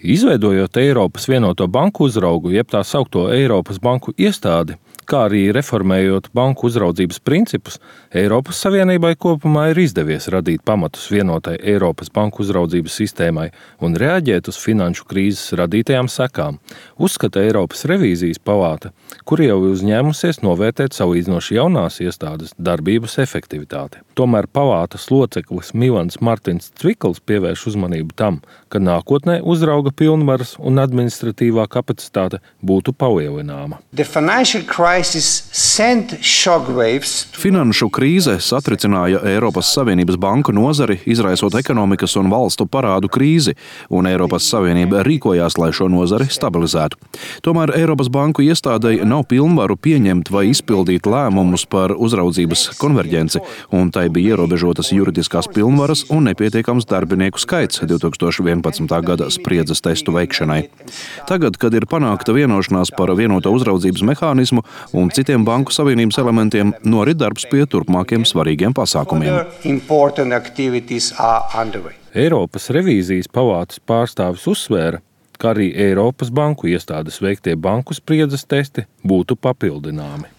Izveidojot Eiropas vienoto banku uzraugu, jeb tā saukto Eiropas banku iestādi, kā arī reformējot banku uzraudzības principus, Eiropas Savienībai kopumā ir izdevies radīt pamatus vienotai Eiropas banku uzraudzības sistēmai un reaģēt uz finanšu krīzes radītajām sekām, uzskata Eiropas revīzijas palāta, kur jau uzņēmusies novērtēt salīdzinoši jaunās iestādes darbības efektivitāti. Tomēr palātas loceklis Milans Martins Cvikls pievērš uzmanību tam, ka nākotnē uzrauga pilnvaras un administratīvā kapacitāte būtu palielināma. Finanšu krīze satricināja Eiropas Savienības banku nozari, izraisot ekonomikas un valstu parādu krīzi, un Eiropas Savienība rīkojās, lai šo nozari stabilizētu. Tomēr Eiropas banku iestādei nav pilnvaru pieņemt vai izpildīt lēmumus par uzraudzības konverģenci, un tai bija ierobežotas juridiskās pilnvaras un nepietiekams darbinieku skaits 2011. gada spriedzes testu veikšanai. Tagad, kad ir panākta vienošanās par vienoto uzraudzības mehānismu un citiem banku savienības elementiem, norit darbs pie turpmākiem svarīgiem pasākumiem. Eiropas revīzijas palātas pārstāvis uzsvēra, ka arī Eiropas banku iestādes veiktie banku spriedzes testi būtu papildināmi.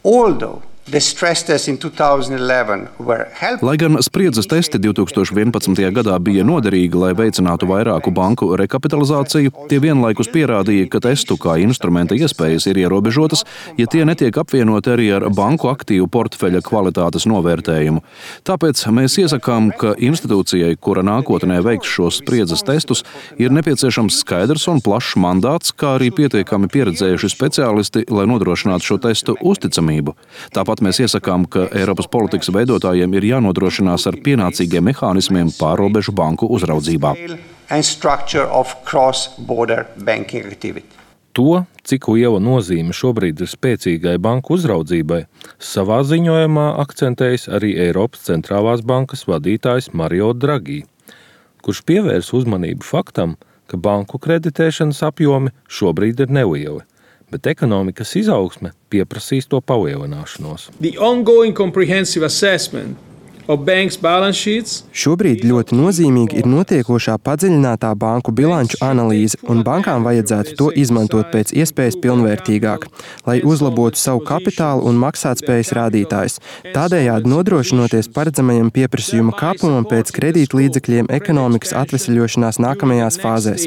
Lai gan spriedzes testi 2011. gadā bija noderīgi, lai veicinātu vairāku banku rekapitalizāciju, tie vienlaikus pierādīja, ka testu kā instrumenta iespējas ir ierobežotas, ja tie netiek apvienoti arī ar banku aktīvu portfeļa kvalitātes novērtējumu. Tāpēc mēs iesakām, ka institūcijai, kura nākotnē veiks šos spriedzes testus, ir nepieciešams skaidrs un plašs mandāts, kā arī pietiekami pieredzējuši speciālisti, lai nodrošinātu šo testu uzticamību. Tāpat mēs iesakām, ka Eiropas politikas veidotājiem ir jānodrošinās ar pienācīgiem mehānismiem pārrobežu banku uzraudzībā. To, cik liela nozīme šobrīd ir spēcīgai banku uzraudzībai, savā ziņojumā akcentējis arī Eiropas centrālās bankas vadītājs Mario Draghi, kurš pievērs uzmanību faktam, ka banku kreditēšanas apjomi šobrīd ir nelieli, bet ekonomikas izaugsme pieprasīs to palielināšanos. Šobrīd ļoti nozīmīgi ir notiekošā padziļinātā banku bilanču analīze, un bankām vajadzētu to izmantot pēc iespējas pilnvērtīgāk, lai uzlabotu savu kapitālu un maksātspējas rādītājus, tādējādi nodrošinoties paredzamajam pieprasījuma kāpumam pēc kredītlīdzekļiem ekonomikas atveseļošanās nākamajās fāzēs.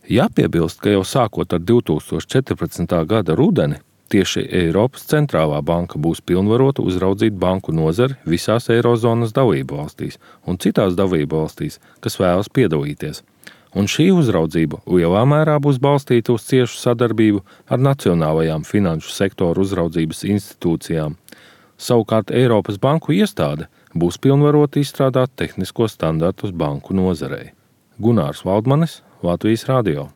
Jāpiebilst, ka jau sākot ar 2014. gada rudeni, tieši Eiropas centrālā banka būs pilnvarota uzraudzīt banku nozari visās Eirozonas dalībvalstīs un citās dalībvalstīs, kas vēlas piedalīties. Un šī uzraudzība lielā mērā būs balstīta uz ciešu sadarbību ar nacionālajām finanšu sektoru uzraudzības institūcijām. Savukārt Eiropas banku iestāde būs pilnvarota izstrādāt tehniskos standartus banku nozarei. Gunārs Valdmanis, Latvijas radio.